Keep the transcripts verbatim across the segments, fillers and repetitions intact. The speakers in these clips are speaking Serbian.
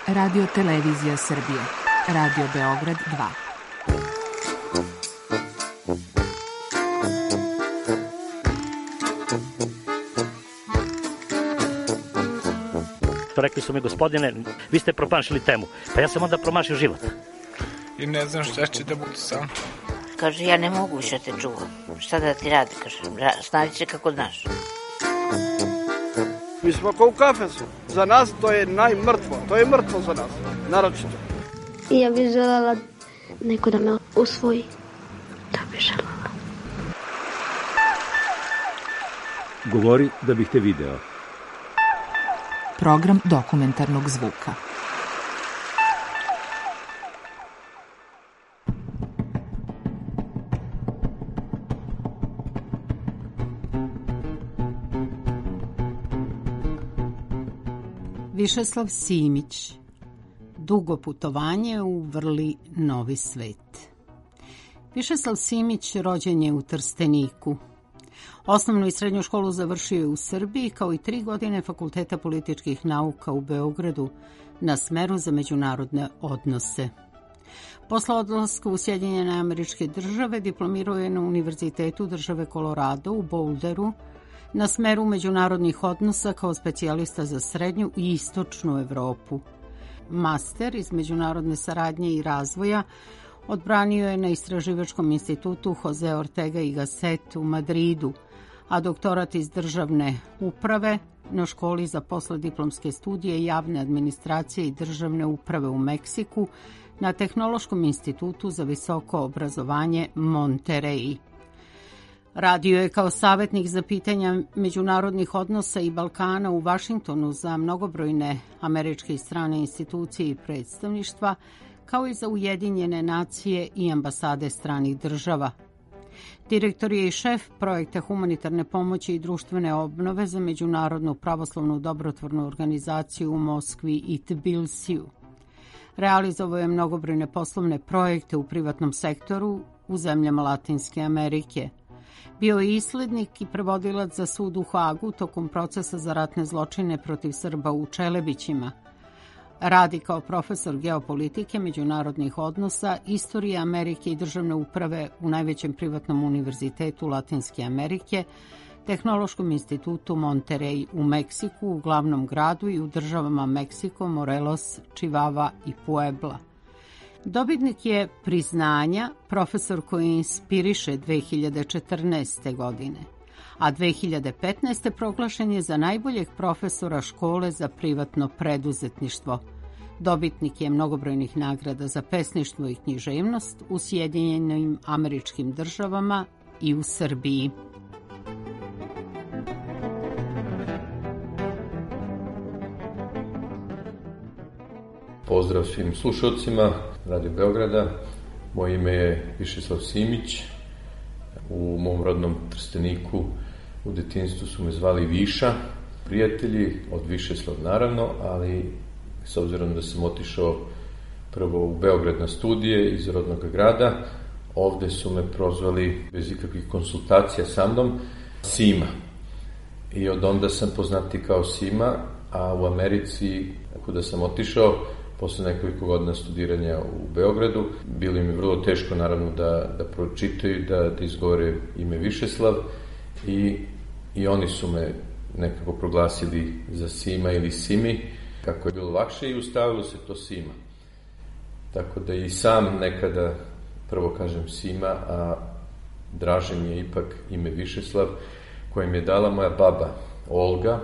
Radio Televizija Srbije, Radio Beograd dva. Rekli su mi, gospodine, vi ste promašili temu. Pa ja sam onda promašio život. I ne znam šta će da bude sam. Kaže, ja ne mogu više te čuvam. Šta da ti radi, kaže, snaći će kako znaš. Mi smo kao u kafesu. Za nas to je najmrtvo. To je mrtvo za nas, naročito. I ja bih želela neko da me usvoji. Da bih želela. Govori da bih te video. Program dokumentarnog zvuka. Višeslav Simić. Dugo putovanje u vrli novi svet. Višeslav Simić rođen je u Trsteniku. Osnovnu i srednju školu završio je u Srbiji, kao i tri godine Fakulteta političkih nauka u Beogradu na smeru za međunarodne odnose. Posle odlaska u Sjedinjene Američke Države diplomirao je na Univerzitetu države Colorado u Boulderu na smeru međunarodnih odnosa kao specijalista za srednju i istočnu Evropu. Master iz međunarodne saradnje i razvoja odbranio je na Istraživačkom institutu Jose Ortega y Gasset u Madridu, a doktorat iz državne uprave na školi za poslediplomske studije javne administracije i državne uprave u Meksiku na Tehnološkom institutu za visoko obrazovanje Monterey. Radio je kao savjetnik za pitanja međunarodnih odnosa i Balkana u Vašingtonu za mnogobrojne američke i strane institucije i predstavništva, kao i za Ujedinjene nacije i ambasade stranih država. Direktor je i šef projekta humanitarne pomoći i društvene obnove za Međunarodnu pravoslavnu dobrotvornu organizaciju u Moskvi i Tbilisiju. Realizovao je mnogobrojne poslovne projekte u privatnom sektoru u zemljama Latinske Amerike. Bio je islednik i prevodilac za sud u Hagu tokom procesa za ratne zločine protiv Srba u Čelebićima. Radi kao profesor geopolitike, međunarodnih odnosa, istorije Amerike i državne uprave u najvećem privatnom univerzitetu Latinske Amerike, Tehnološkom institutu Monterey u Meksiku, u glavnom gradu i u državama Meksiko, Morelos, Chihuahua i Puebla. Dobitnik je priznanja profesor koji inspiriše dve hiljade četrnaeste. godine, a dve hiljade petnaeste. proglašen je za najboljeg profesora škole za privatno preduzetništvo. Dobitnik je mnogobrojnih nagrada za pesništvo i književnost u Sjedinjenim Američkim Državama i u Srbiji. Pozdrav svim slušalcima Radio Beograda. Moje ime je Višeslav Simić. U mom rodnom Trsteniku u detinjstvu su me zvali Viša. Prijatelji od Višeslav naravno, ali s obzirom da sam otišao prvo u Beograd na studije iz rodnog grada, ovde su me prozvali bez ikakvih konsultacija sa mnom Sima. I od onda sam poznati kao Sima, a u Americi, kuda sam otišao, posle nekoliko godina studiranja u Beogradu, bilo im je vrlo teško naravno da, da pročitaju, da, da izgovore ime Višeslav i, i oni su me nekako proglasili za Sima ili Simi, kako je bilo lakše i ustavilo se to Sima. Tako da i sam nekada prvo kažem Sima, a draže mi je ipak ime Višeslav, koje mi je dala moja baba Olga,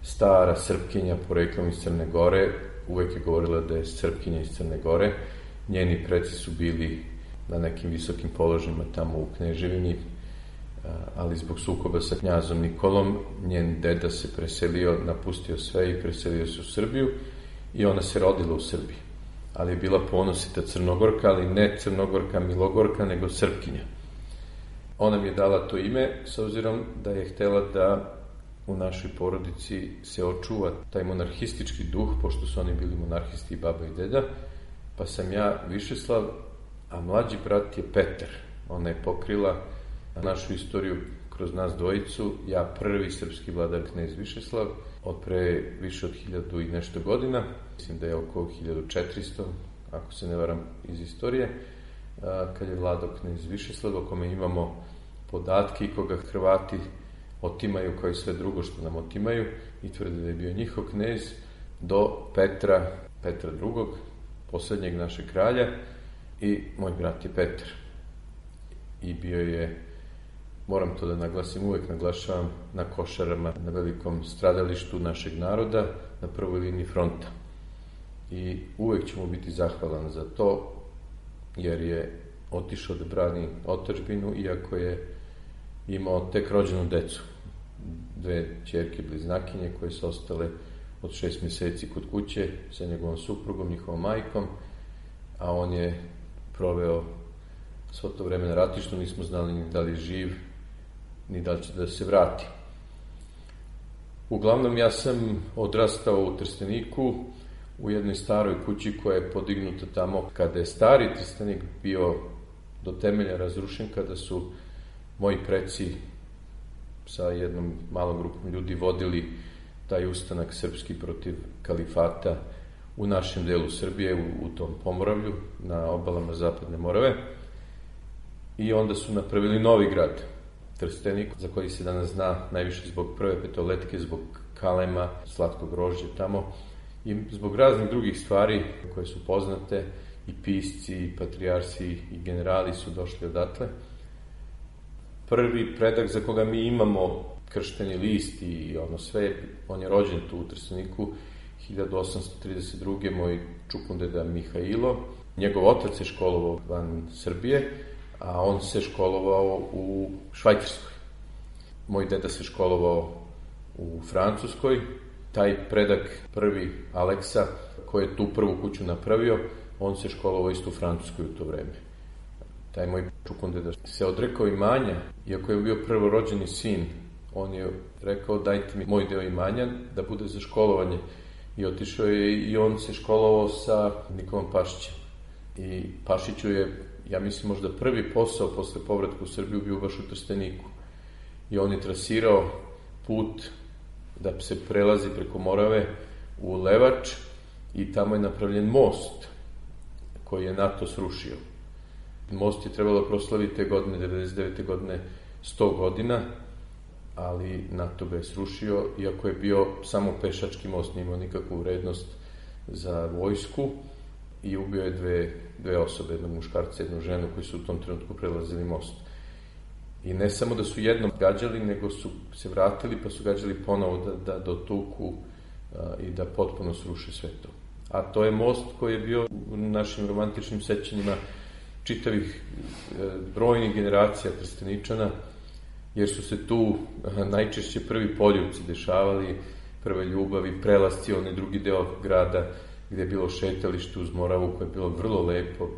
stara Srpkinja poreklom iz Crne Gore. Uvek je govorila da je Srpkinja iz Crne Gore. Njeni preci su bili na nekim visokim položajima tamo u Kneževini, ali zbog sukoba sa knjazom Nikolom njen deda se preselio, napustio sve i preselio se u Srbiju i ona se rodila u Srbiji. Ali je bila ponosita Crnogorka, ali ne Crnogorka Milogorka, nego Srpkinja. Ona mi je dala to ime s obzirom da je htela da u našoj porodici se očuva taj monarhistički duh, pošto su oni bili monarhisti i baba i deda, pa sam ja Višeslav, a mlađi brat je Petar. Ona je pokrila našu istoriju kroz nas dvojicu, ja prvi srpski vladar knez Višeslav, od pre više od hiljadu i nešto godina, mislim da je oko hiljadu četiristo, ako se ne varam iz istorije, kad je vladao knez Višeslav, o kome imamo podatke i koga Hrvati otimaju kao i sve drugo što nam otimaju i tvrde da je bio njihov knez, do Petra, Petra drugog, poslednjeg našeg kralja, i moj brat je Petar. I bio je, moram to da naglasim, uvek naglašavam, na Košarama, na velikom stradalištu našeg naroda, na prvoj liniji fronta. I uvek ću mu biti zahvalan za to, jer je otišao da brani otadžbinu, iako je imao tek rođenu decu. Dve ćerke bliznakinje koje su ostale od šest meseci kod kuće sa njegovom suprugom, njihovom majkom, a on je proveo svo to vreme na ratištu, nismo znali ni da li je živ, ni da li će da se vrati. Uglavnom, ja sam odrastao u Trsteniku, u jednoj staroj kući koja je podignuta tamo kada je stari Trstenik bio do temelja razrušen, kada su moji preci sa jednom malom grupom ljudi vodili taj ustanak srpski protiv kalifata u našem delu Srbije, u, u tom Pomoravlju, na obalama Zapadne Morave. I onda su napravili novi grad, Trstenik, za koji se danas zna najviše zbog prve petoletke, zbog kalema, slatkog grožđa tamo i zbog raznih drugih stvari koje su poznate, i pisci, i patrijarsi, i generali su došli odatle. Prvi predak za koga mi imamo kršteni list i ono sve, on je rođen tu u Trsteniku hiljadu osamsto trideset druge. moj čukundeda Mihailo. Njegov otac se školovao van Srbije, a on se školovao u Švajcarskoj. Moj deda se školovao u Francuskoj. Taj predak, prvi Aleksa, koji je tu prvu kuću napravio, on se školovao isto u Francuskoj u to vreme. Taj moj čukundeda se odrekao imanja, iako je bio prvorođeni sin. On je rekao, dajte mi moj deo imanja da bude za školovanje. I otišao je i on se školovao sa Nikolom Pašićem. I Pašiću je, ja mislim, možda prvi posao posle povratka u Srbiju bio baš u Trsteniku. I on je trasirao put da se prelazi preko Morave u Levač i tamo je napravljen most koji je NATO srušio. Most je trebalo proslaviti te godine, devedeset devete godine, sto godina, ali NATO ga je srušio, iako je bio samo pešački most, nije imao nikakvu vrednost za vojsku, i ubio je dve, dve osobe, jednog muškarca, jednu ženu, koji su u tom trenutku prelazili most. I ne samo da su jednom gađali, nego su se vratili, pa su gađali ponovo da, da dotuku a, i da potpuno sruše sve to. A to je most koji je bio u našim romantičnim sećanjima čitavih e, brojnih generacija Trsteničana, jer su se tu a, najčešće prvi poljubci dešavali, prve ljubavi, prelasci, onaj drugi deo grada gde je bilo šetalište uz Moravu, koje je bilo vrlo lepo,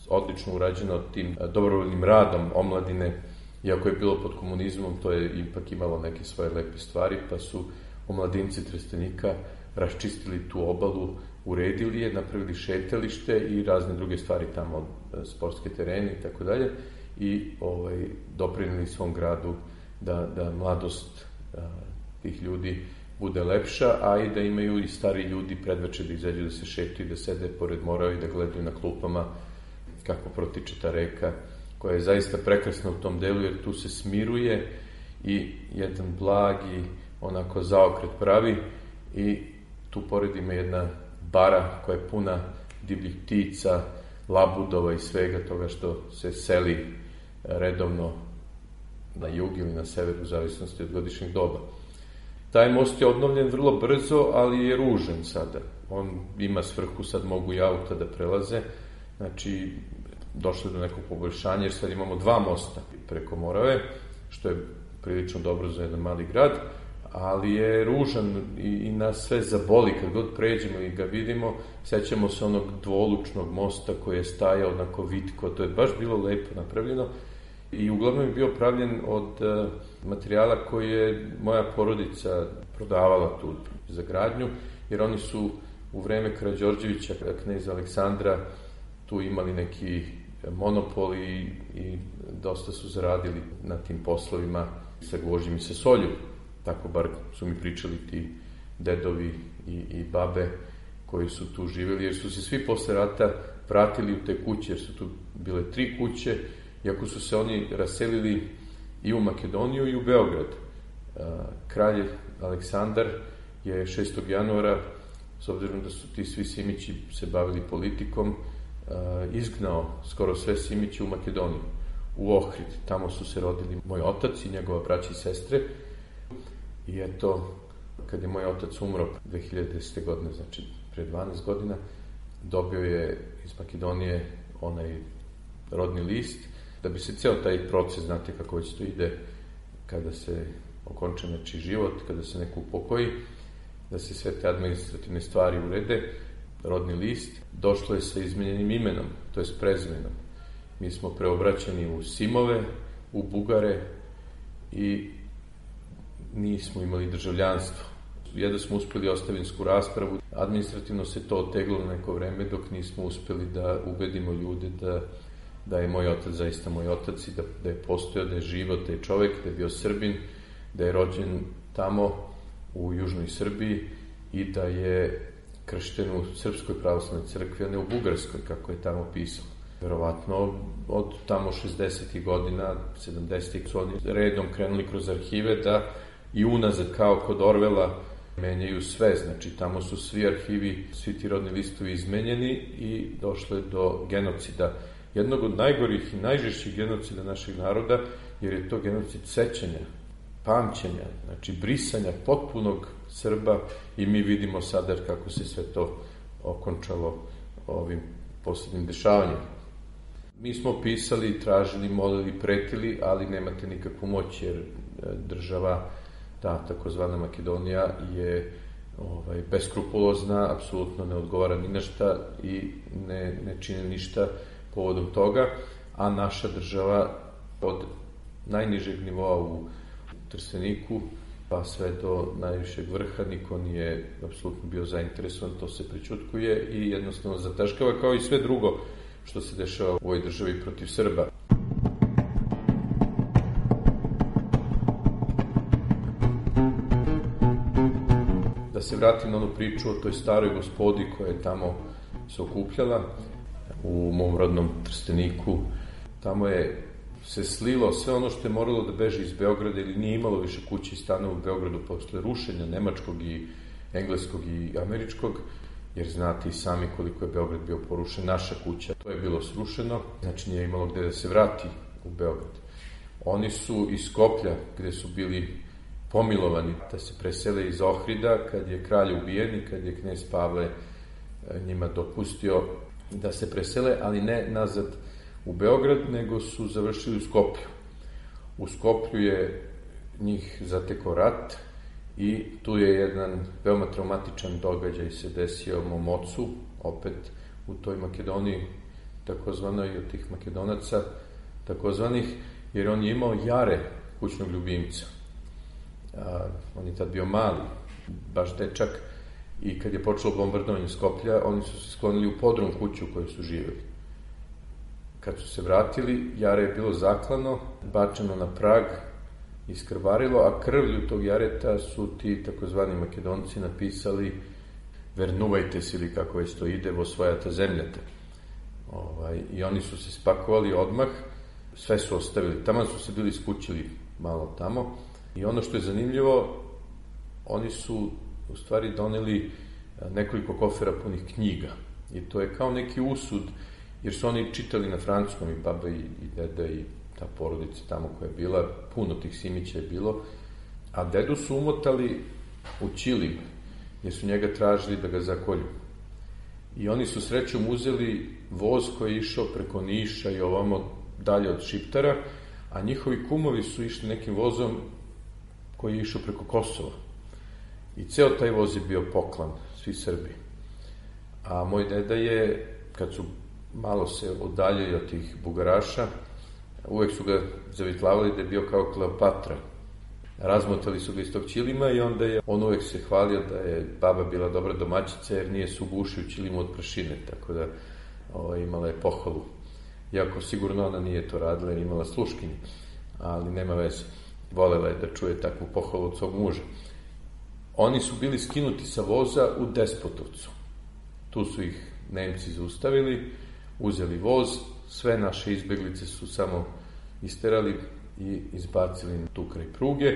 odlično urađeno tim dobrovoljnim radom omladine. Iako je bilo pod komunizmom, to je ipak imalo neke svoje lepe stvari, pa su omladinci Trstenika raščistili tu obalu, uredili je, napravili šetalište i razne druge stvari tamo, sportske terene i tako dalje, i ovaj, doprinili svom gradu da, da mladost a, tih ljudi bude lepša, a i da imaju i stari ljudi predveče da izađu da se šetaju, da sede pored Morave i da gledaju na klupama kako protiče ta reka, koja je zaista prekrasna u tom delu, jer tu se smiruje i jedan blagi onako zaokret pravi, i tu pored ima jedna bara koja je puna divljih ptica, labudova i svega toga što se seli redovno na jug ili na sever u zavisnosti od godišnjeg doba. Taj most je obnovljen vrlo brzo, ali je ružan sada. On ima svrhu, sad mogu i auta da prelaze, znači došlo do nekog poboljšanja, jer sad imamo dva mosta preko Morave, što je prilično dobro za jedan mali grad, ali je ružan i, i nas sve zaboli kad god pređemo i ga vidimo. Sećamo se onog dvolučnog mosta koji je stajao onako vitko, to je baš bilo lepo napravljeno i uglavnom je bio pravljen od uh, materijala koji je moja porodica prodavala tu za gradnju, jer oni su u vreme Karađorđevića, kneza Aleksandra, tu imali neki monopol i, i dosta su zaradili na tim poslovima sa gvožđem i sa solju. Tako bar su mi pričali ti dedovi i, i babe koji su tu živjeli, jer su se svi posle rata vratili u te kuće, jer su tu bile tri kuće, iako su se oni raselili i u Makedoniju i u Beograd. Kralj Aleksandar je šestog januara, s obzirom da su ti svi Simići se bavili politikom, izgnao skoro sve Simiće u Makedoniju, u Ohrid. Tamo su se rodili moj otac i njegova braća i sestre. I eto, kad je moj otac umro dve hiljade desete. godine, znači pre dvanaest godina, dobio je iz Makedonije onaj rodni list, da bi se ceo taj proces, znate kako već to ide, kada se okonča nečiji život, kada se neko upokoji, da se sve te administrativne stvari urede, rodni list, došlo je sa izmenjenim imenom, to je s prezimenom. Mi smo preobraćeni u Simove, u Bugare i nismo imali državljanstvo. Jedno smo uspeli ostavinsku raspravu, administrativno se to oteglo na neko vreme dok nismo uspeli da ubedimo ljude da, da je moj otac zaista moj otac i da, da je postojao, da je živo, da je čovek, da je bio Srbin, da je rođen tamo u južnoj Srbiji i da je kršten u Srpskoj pravoslavnoj crkvi, a ne u Bugarskoj, kako je tamo pisalo. Verovatno od tamo šezdesetih godina, sedamdesetih su oni redom krenuli kroz arhive da i unazad kao kod Orvela menjaju sve, znači tamo su svi arhivi, svi ti rodni listovi izmenjeni i došlo je do genocida. Jednog od najgorih i najžešćih genocida našeg naroda, jer je to genocid sećanja, pamćenja, znači brisanja potpunog Srba i mi vidimo sada kako se sve to okončalo ovim poslednjim dešavanjem. Mi smo pisali, tražili, molili, pretili, ali nemate nikakvu moć, jer država, ta takozvana Makedonija, je ovaj, beskrupulozna, apsolutno ne odgovara ni na šta i ne, ne čine ništa povodom toga, a naša država od najnižeg nivoa u Trsteniku pa sve do najvišeg vrha niko nije apsolutno bio zainteresovan, to se prećutkuje i jednostavno zataškava, kao i sve drugo što se dešava u ovoj državi protiv Srba. Da se vratim na onu priču o toj staroj gospodi koja je tamo se okupljala u mom rodnom Trsteniku. Tamo je se slilo sve ono što je moralo da beže iz Beograda ili nije imalo više kuće i stanova u Beogradu posle rušenja nemačkog i engleskog i američkog, jer znate i sami koliko je Beograd bio porušen. Naša kuća, to je bilo srušeno, znači nije imalo gde da se vrati u Beograd. Oni su iz Skoplja, gde su bili pomilovani da se presele iz Ohrida, kad je kralj ubijen i kad je knez Pavle njima dopustio da se presele, ali ne nazad u Beograd, nego su završili u Skoplju. U Skoplju je njih zatekao rat i tu je jedan veoma traumatičan događaj se desio mom ocu, opet u toj Makedoniji, takozvanoj od tih Makedonaca, takozvanih, jer on je imao Jare, kućnog ljubimca. A, on je tad bio mali, baš dečak, i kad je počelo bombardovanje Skoplja, oni su se sklonili u podrum kuću u kojoj su živjeli. Kad su se vratili, Jare je bilo zaklano, bačeno na prag, iskrvarilo, a krvlju tog Jareta su ti takozvani Makedonci napisali vernuvajte se, ili kako već to ide, vo svojata zemljata. Ovaj, I oni su se spakovali odmah, sve su ostavili. Tamo su se bili skućili malo tamo. I ono što je zanimljivo, oni su u stvari doneli nekoliko kofera punih knjiga. I to je kao neki usud, jer su oni čitali na francuskom, i baba i, i deda i ta porodica tamo koja je bila, puno tih Simića je bilo, a dedu su umotali u ćilim, jer su njega tražili da ga zakolju. I oni su srećom uzeli voz koji je išao preko Niša i ovamo dalje od Šiptara, a njihovi kumovi su išli nekim vozom koji je išao preko Kosova. I ceo taj voz je bio poklan, svi Srbi. A moj deda je, kad su malo se odaljili od tih Bugaraša, uvek su ga zavitlavali da je bio kao Kleopatra. Razmotali su ga iz tog ćilima i onda je on uvek se hvalio da je baba bila dobra domaćica jer nije se ugušio u ćilimu od prašine, tako da o, imala je pohvalu iako sigurno ona nije to radila jer imala sluškinje, ali nema veze. Volela je da čuje takvu pohvalu od svog muža. Oni su bili skinuti sa voza u Despotovcu. Tu su ih Nemci zaustavili, uzeli voz, sve naše izbeglice su samo isterali i izbacili tu kraj pruge.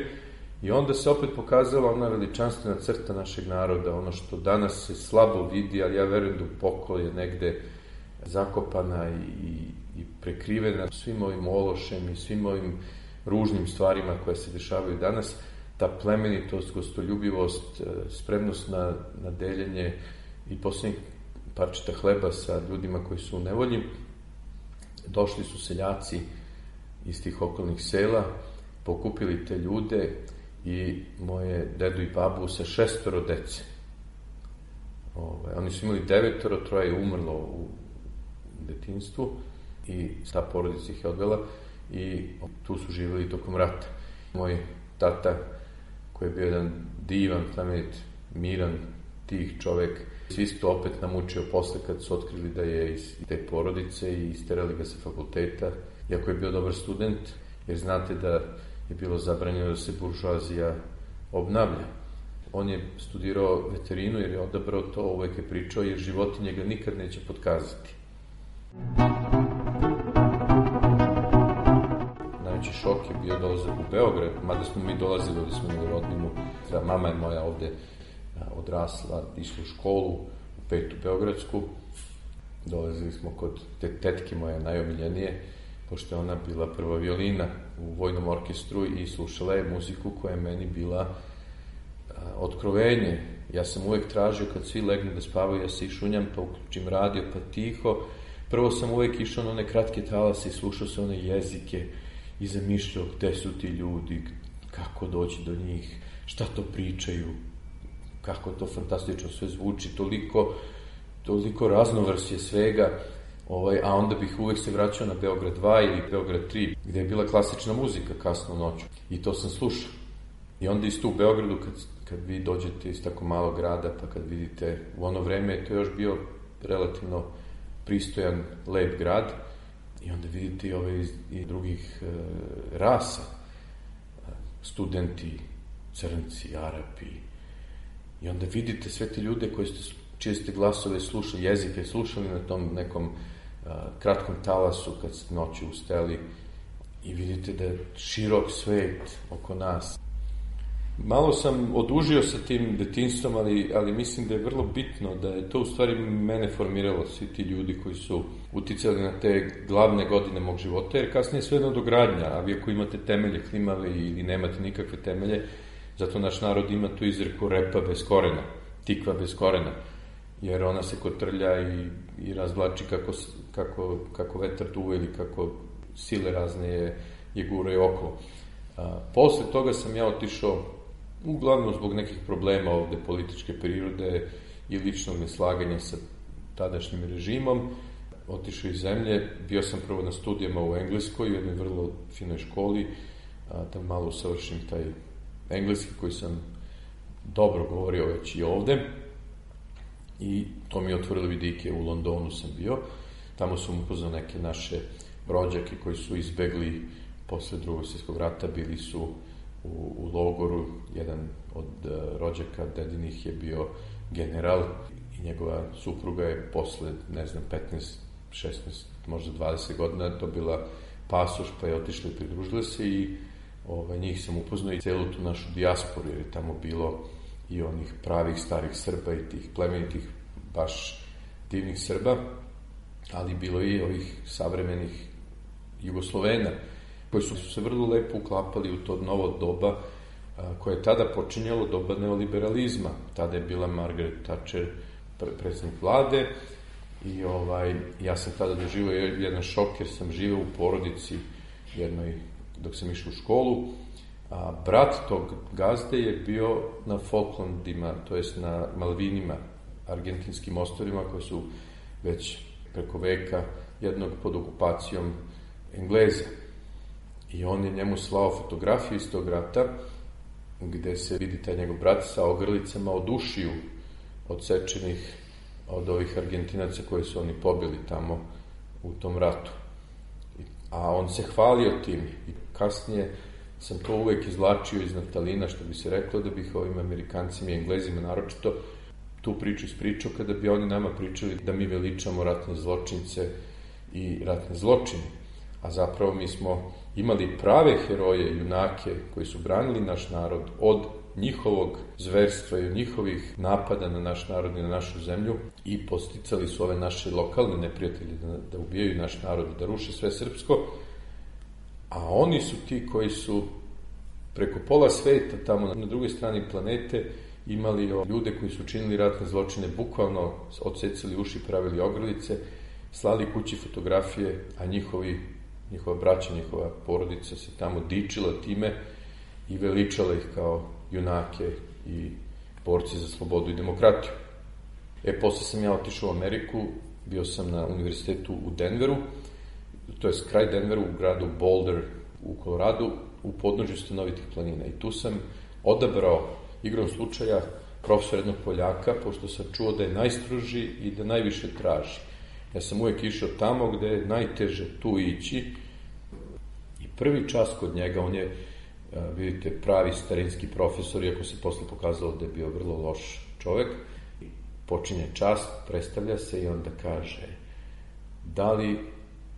I onda se opet pokazala ona veličanstvena crta našeg naroda, ono što danas se slabo vidi, ali ja verujem da duboko je negde zakopana i, i prekrivena svim ovim ološem i svim ovim ružnim stvarima koje se dešavaju danas. Ta plemenitost, gostoljubivost, spremnost na, na deljenje i posljednjih parčeta hleba sa ljudima koji su u nevolji. Došli su seljaci iz tih okolnih sela, pokupili te ljude i moje dedu i babu sa šestoro dece. Ove, oni su imali devetoro, troje je umrlo u detinjstvu i ta porodica ih je odvela i tu su živjeli tokom rata. Moj tata, koji je bio jedan divan, plemenit, miran, tih čovek, svi su to opet namučio posle kad su otkrili da je iz te porodice i isterali ga sa fakulteta, iako je bio dobar student, jer znate da je bilo zabranjeno da se buržoazija obnavlja. On je studirao veterinu jer je odabrao to, uvek je pričao, jer životinje ga nikad neće potkazati. Najveći šok je bio dolazak u Beograd, mada smo mi dolazili, ovdje smo imali rodbinu. Mama je moja ovde odrasla, išla u školu, u petu Beogradsku. Dolazili smo kod te tetke moje najomiljenije, pošto je ona bila prva violina u vojnom orkestru i slušala je muziku koja je meni bila a, otkrovenje. Ja sam uvek tražio kad svi legnu da spavaju, ja se išunjam, pa uključim radio, pa tiho. Prvo sam uvek išao na one kratke talase i slušao se one jezike i zamišljao gde su ti ljudi, kako doći do njih, šta to pričaju, kako to fantastično sve zvuči, toliko, toliko raznovrsje svega. Ovaj, a onda bih uvek se vraćao na Beograd dva ili Beograd tri, gde je bila klasična muzika kasno noću. I to sam slušao. I onda isto u Beogradu, kad, kad vi dođete iz tako malog grada, pa kad vidite, u ono vreme to je još bio relativno pristojan, lep grad, i onda vidite i ove iz i drugih e, rasa, studenti, crnci, Arapi, i onda vidite sve te ljude koji ste, čije ste glasove slušali, jezike slušali na tom nekom a, kratkom talasu kad ste noći ustali i vidite da je širok svet oko nas. Malo sam odužio sa tim detinjstvom, ali, ali mislim da je vrlo bitno da je to u stvari mene formiralo, svi ti ljudi koji su uticali na te glavne godine mog života, jer kasnije sve nadogradnja, a vi ako imate temelje klimave ili nemate nikakve temelje, zato naš narod ima tu izreku repa bez korena, tikva bez korena, jer ona se kotrlja i, i razvlači kako, kako, kako vetar duva ili kako sile razne je, je guraju okolo. A, posle toga sam ja otišao, uglavnom zbog nekih problema ovde političke prirode i ličnog neslaganja sa tadašnjim režimom, otišao iz zemlje. Bio sam prvo na studijama u Engleskoj, u jednoj vrlo finoj školi, a, da malo usavršim taj engleski koji sam dobro govorio već i ovde. I to mi je otvorilo vidike. U Londonu sam bio, tamo sam upoznao neke naše rođake koji su izbegli posle drugog svjetskog rata, bili su u, u logoru. Jedan od uh, rođaka dedinih je bio general i njegova supruga je posle, ne znam, petnaest, šesnaest, možda dvadeset godina dobila pasoš, pa je otišla i pridružila se i ovaj, njih sam upoznao i celu tu našu dijasporu, jer je tamo bilo i onih pravih starih Srba i tih plemenitih, baš divnih Srba, ali bilo i ovih savremenih Jugoslovena, koji su se vrlo lepo uklapali u to novo doba a, koje je tada počinjalo, doba neoliberalizma. Tada je bila Margaret Thatcher predsjednik vlade i ovaj, ja sam tada doživio jedan šok, jer sam živeo u porodici jednoj dok sam išao u školu. A brat tog gazde je bio na Falklandima, to jest na Malvinima, argentinskim ostrvima koji su već preko veka jednog pod okupacijom Engleza. I on je njemu slao fotografiju iz tog rata, gde se vidi taj njegov brat sa ogrlicama od ušiju odsečenih od ovih Argentinaca koje su oni pobili tamo u tom ratu. a on se hvalio tim. I kasnije sam to uvek izvlačio iz naftalina, što bi se reklo, da bih ovim Amerikancima i Englezima naročito tu priču ispričao, kada bi oni nama pričali da mi veličamo ratne zločince i ratne zločine. A zapravo mi smo imali prave heroje, junake, koji su branili naš narod od njihovog zverstva i od njihovih napada na naš narod i na našu zemlju i posticali su ove naše lokalne neprijatelje da, da ubijaju naš narod, da ruše sve srpsko, a oni su ti koji su preko pola sveta, tamo na drugoj strani planete, imali ljude koji su činili ratne zločine, bukvalno odsecali uši, pravili ogrlice, slali kući fotografije, a njihovi, njihova braća, njihova porodica se tamo dičila time i veličala ih kao junake i borci za slobodu i demokratiju. E, posle sam ja otišao u Ameriku, bio sam na univerzitetu u Denveru, to je kraj Denveru, u gradu Boulder u Koloradu, u podnožju stanovitih planina. I tu sam odabrao igrom slučaja profesor jednog Poljaka, pošto sam čuo da je najstroži i da najviše traži. Ja sam uvek išao tamo gde je najteže tu ići i prvi čas kod njega, on je, vidite, pravi starinski profesor, iako se posle pokazalo da je bio vrlo loš čovek. Počinje čas, predstavlja se i onda kaže: da li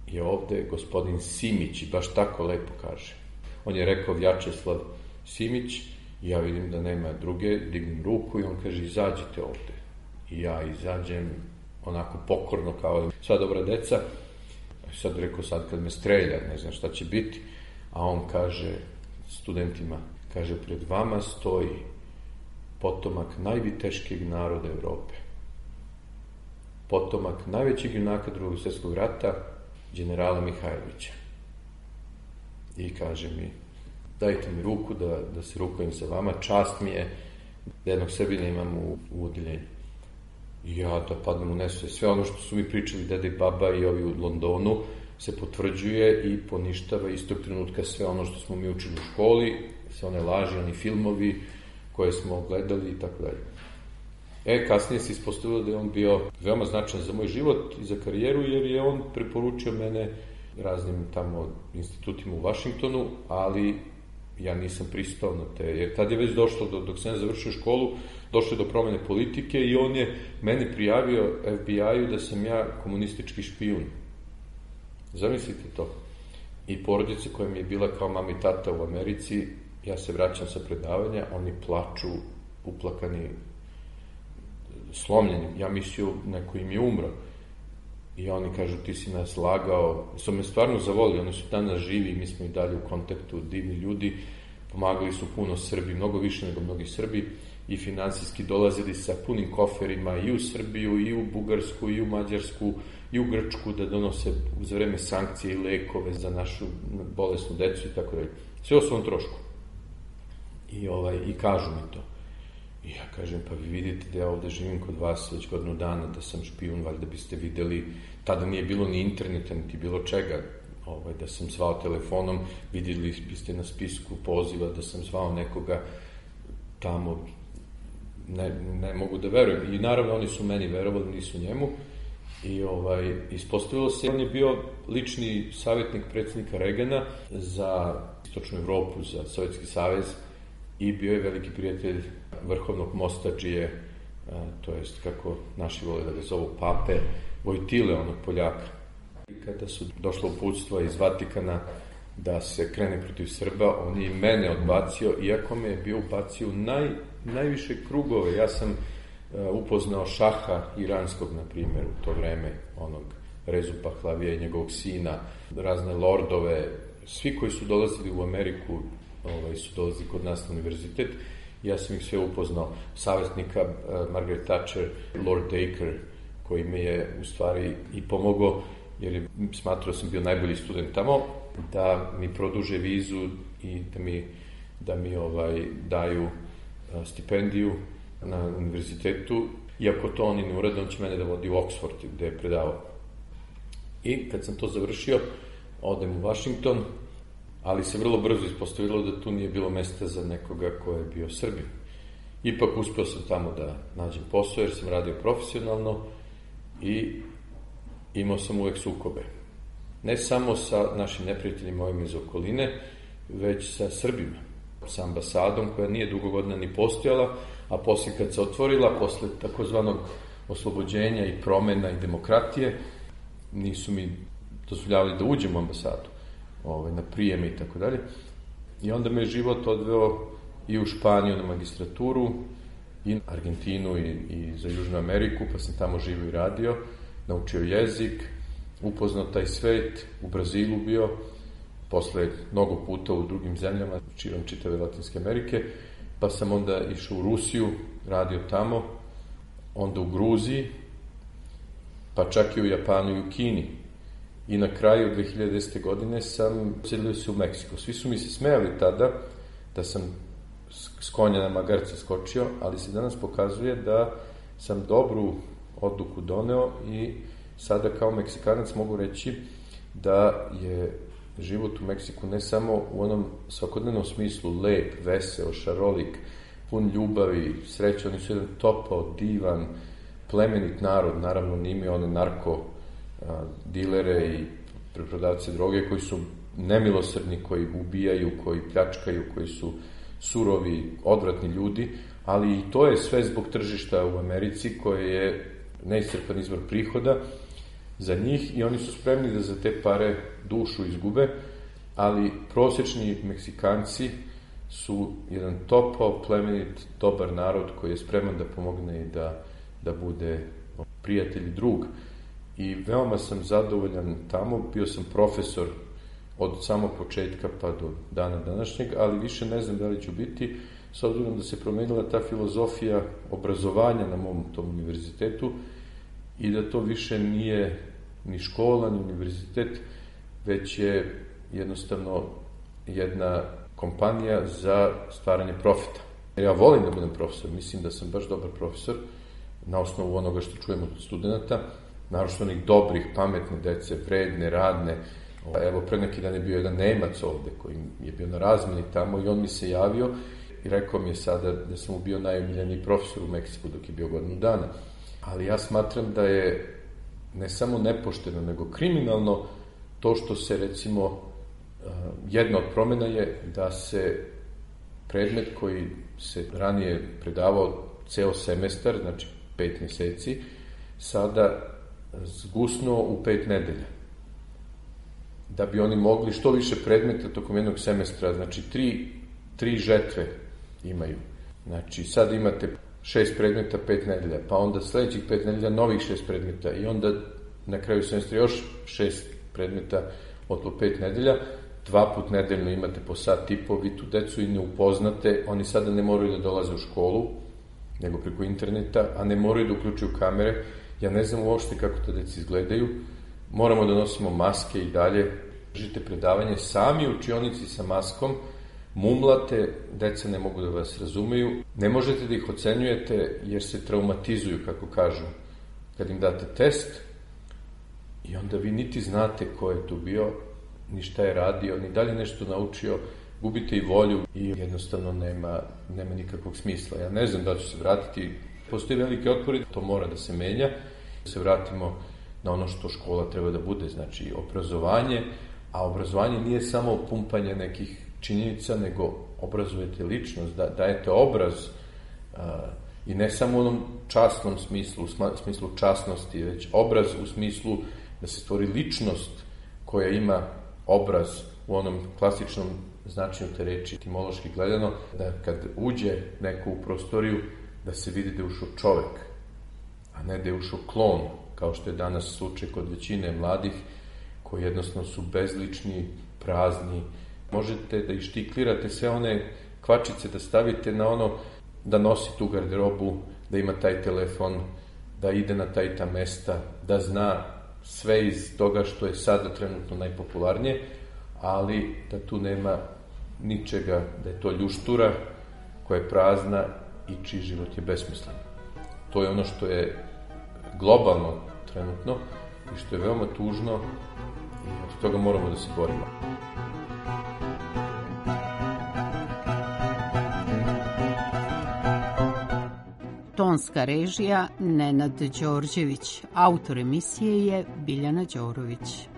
je ovde gospodin Simić, i baš tako lepo kaže. On je rekao Vjačeslav Simić, i ja vidim da nema druge, dignem ruku i on kaže: izađite ovde. I ja izađem onako pokorno, kao sva dobra deca. Sad rekao, sad kad me strelja, ne znam šta će biti. A on kaže studentima, kaže: pred vama stoji potomak najviteškijeg naroda Evrope. Potomak najvećeg junaka Drugog svjetskog rata, generala Mihajlovića. I kaže mi: dajte mi ruku da, da se rukujem sa vama, čast mi je da jednog Srbina imam u, u odeljenju. I ja da padnem u nesvest. Sve ono što su mi pričali deda i baba i ovi u Londonu se potvrđuje i poništava istog trenutka sve ono što smo mi učili u školi, sve one laži, oni filmovi koje smo gledali i tako dalje. E, kasnije se ispostavilo da je on bio veoma značajan za moj život i za karijeru, jer je on preporučio mene raznim tamo institutima u Vašingtonu, ali ja nisam pristao na te, jer tad je već došlo, do, dok sam ja završio školu, došlo je do promene politike i on je meni prijavio F B I-u da sam ja komunistički špijun. Zamislite to. I porodice koja mi je bila kao mama i tata u Americi, ja se vraćam sa predavanja, oni plaču, uplakani, slomljeni. Ja mislio, neko im je umro. I oni kažu: ti si nas lagao. Su me stvarno zavolili, oni su danas živi, mi smo i dalje u kontaktu, divni ljudi, pomagali su puno Srbi, mnogo više nego mnogi Srbi, i finansijski dolazili sa punim koferima i u Srbiju, i u Bugarsku, i u Mađarsku, i u Grčku, da donose za vreme sankcije i lekove za našu bolesnu decu i tako dalje. Sve o svom trošku. I, ovaj, i kažu mi to. I ja kažem: pa vi vidite da ja ovde živim kod vas već godinu dana, da sam špijun, valjda biste videli, tada nije bilo ni interneta, niti bilo čega, ovaj, da sam zvao telefonom, vidjeli biste na spisku poziva da sam zvao nekoga tamo, ne, ne mogu da verujem. I naravno oni su meni verovali, nisu njemu. I ovaj, ispostavilo se, on je bio lični savjetnik predsjednika Regana za Istočnu Evropu, za Sovjetski savez, i bio je veliki prijatelj vrhovnog mostadžije, to jest, kako naši vole da ga zovu, pape Vojtile, onog Poljaka. I kada su došlo uputstva iz Vatikana da se krene protiv Srba, on je i mene odbacio, iako me je bio ubacio u naj, najviše krugove. Ja sam uh, upoznao šaha iranskog, na primjer, u to vreme, onog Rezu Pahlavija i njegovog sina, razne lordove, svi koji su dolazili u Ameriku, ovaj, su dolazili kod nas na univerzitet. Ja sam ih sve upoznao. Savjetnika uh, Margaret Thatcher, Lord Dacre, koji me je u stvari i pomogao, jer je smatrao da sam bio najbolji student tamo, da mi produže vizu i da mi, da mi ovaj, daju a, stipendiju na univerzitetu. Iako to oni ne urade, on će mene da vodi u Oxford, gde je predavao. I kad sam to završio, odem u Washington, ali se vrlo brzo ispostavilo da tu nije bilo mesta za nekoga ko je bio Srbin. Ipak uspeo sam tamo da nađem posao, jer sam radio profesionalno i imao sam uvek sukobe. ne samo sa našim neprijateljima ovim iz okoline, već sa Srbima, sa ambasadom koja nije dugo godina ni postojala, a poslije kad se otvorila, posle takozvanog oslobođenja i promena i demokratije, nisu mi dozvoljavali da uđem u ambasadu, ovaj, na prijeme i tako dalje. I onda me život odveo i u Španiju na magistraturu, i Argentinu i, i za Južnu Ameriku, pa sam tamo živio i radio, naučio jezik, upoznao taj svet, u Brazilu bio, posle mnogo puta u drugim zemljama, širom čitave Latinske Amerike, pa sam onda išao u Rusiju, radio tamo, onda u Gruziji, pa čak i u Japanu i u Kini. I na kraju dve hiljade desete. godine sam uselio se u Meksiko. Svi su mi se smejali tada da sam s konja na magarca skočio, ali se danas pokazuje da sam dobru odluku doneo i sada kao Meksikanac mogu reći da je život u Meksiku ne samo u onom svakodnevnom smislu lep, veseo, šarolik, pun ljubavi, sreće, oni su jedan topao, divan, plemenit narod, naravno nime one narko a, dilere i preprodavce droge koji su nemilosrdni, koji ubijaju, koji pljačkaju, koji su surovi, odvratni ljudi, ali i to je sve zbog tržišta u Americi koje je neiscrpan izvor prihoda za njih i oni su spremni da za te pare dušu izgube, ali prosječni Meksikanci su jedan topao, plemenit, dobar narod koji je spreman da pomogne i da, da bude prijatelj i drug. I veoma sam zadovoljan tamo, bio sam profesor od samog početka pa do dana današnjeg, ali više ne znam da li ću biti, s obzirom da se promenila ta filozofija obrazovanja na mom tom univerzitetu i da to više nije ni škola, ni univerzitet, već je jednostavno jedna kompanija za stvaranje profita. Ja volim da budem profesor, mislim da sam baš dobar profesor na osnovu onoga što čujem od studenta, naročito onih dobrih, pametne dece, vredne, radne. Evo, pre neki dan je bio jedan Nemac ovde koji je bio na razmeni tamo i on mi se javio i rekao mi je sada da sam mu bio najomiljeniji profesor u Meksiku dok je bio godinu dana. Ali ja smatram da je ne samo nepošteno, nego kriminalno to što se, recimo, jedna od promena je da se predmet koji se ranije predavao ceo semestar, znači pet meseci, sada zgusnuo u pet nedelja. Da bi oni mogli što više predmeta tokom jednog semestra, znači tri, tri žetve imaju. Znači sad imate šest predmeta, pet nedelja, pa onda sledećih pet nedelja novih šest predmeta i onda na kraju semestra još šest predmeta od po pet nedelja, dva put nedeljno imate po sat i po, vi tu decu i ne upoznate, oni sada ne moraju da dolaze u školu, nego preko interneta, a ne moraju da uključuju kamere, ja ne znam uopšte kako to deci izgledaju, moramo da nosimo maske i dalje, držite predavanje sami u učionici sa maskom, mumlate, deca ne mogu da vas razumeju, ne možete da ih ocenjujete jer se traumatizuju, kako kažu, kad im date test i onda vi niti znate ko je tu bio, ni šta je radio, ni dalje nešto naučio, gubite i volju i jednostavno nema, nema nikakvog smisla. Ja ne znam da ću se vratiti, postoji veliki otpor i to mora da se menja, da se vratimo na ono što škola treba da bude, znači obrazovanje, a obrazovanje nije samo pumpanje nekih činjenica, nego obrazujete ličnost, da, dajete obraz a, i ne samo u onom časnom smislu, u smislu časnosti, već obraz u smislu da se stvori ličnost koja ima obraz u onom klasičnom značenju te reči, etimološki gledano, da kad uđe neko u prostoriju, da se vidi da je ušao čovek, a ne da je ušao klon, kao što je danas slučaj kod većine mladih, koji jednostavno su bezlični, prazni. Možete da ištiklirate sve one kvačice, da stavite na ono, da nosi tu garderobu, da ima taj telefon, da ide na taj ta mesta, da zna sve iz toga što je sada trenutno najpopularnije, ali da tu nema ničega, da je to ljuštura koja je prazna i čiji život je besmislen. To je ono što je globalno trenutno i što je veoma tužno i od toga moramo da se borimo. Tonska režija Nenad Đorđević, autor emisije je Biljana Đorović.